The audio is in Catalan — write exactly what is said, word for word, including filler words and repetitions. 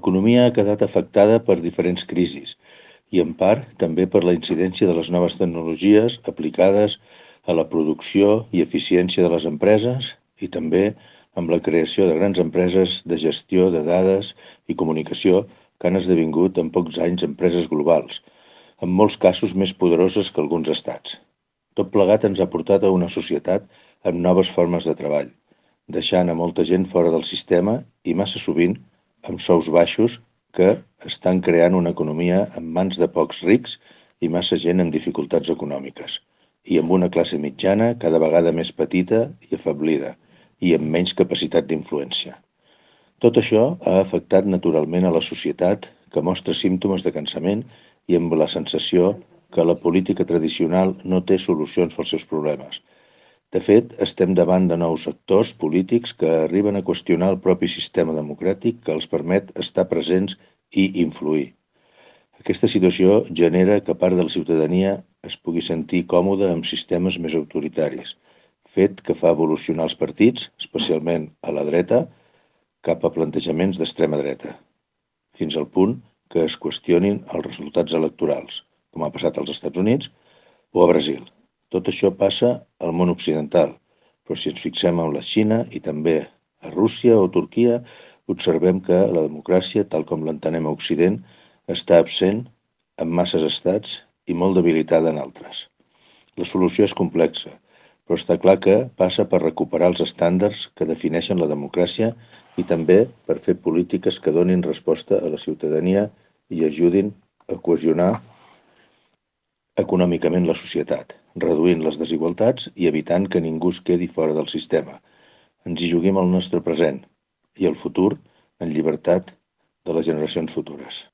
L'economia ha quedat afectada per diferents crisis i, en part, també per la incidència de les noves tecnologies aplicades a la producció i eficiència de les empreses i també amb la creació de grans empreses de gestió de dades i comunicació que han esdevingut en pocs anys empreses globals, en molts casos més poderoses que alguns estats. Tot plegat ens ha portat a una societat amb noves formes de treball, deixant a molta gent fora del sistema i massa sovint amb sous baixos que estan creant una economia en mans de pocs rics i massa gent amb dificultats econòmiques, i amb una classe mitjana cada vegada més petita i afablida, i amb menys capacitat d'influència. Tot això ha afectat naturalment a la societat, que mostra símptomes de cansament i amb la sensació que la política tradicional no té solucions pels seus problemes. De fet, estem davant de nous actors polítics que arriben a qüestionar el propi sistema democràtic que els permet estar presents i influir. Aquesta situació genera que part de la ciutadania es pugui sentir còmoda amb sistemes més autoritaris, fet que fa evolucionar els partits, especialment a la dreta, cap a plantejaments d'extrema dreta, fins al punt que es qüestionin els resultats electorals, com ha passat als Estats Units o a Brasil. Tot això passa al món occidental, però si ens fixem en la Xina i també a Rússia o Turquia, observem que la democràcia, tal com l'entenem a Occident, està absent en masses estats i molt debilitada en altres. La solució és complexa, però està clar que passa per recuperar els estàndards que defineixen la democràcia i també per fer polítiques que donin resposta a la ciutadania i ajudin a cohesionar econòmicament la societat, reduint les desigualtats i evitant que ningú es quedi fora del sistema. Ens hi juguem el nostre present i el futur en llibertat de les generacions futures.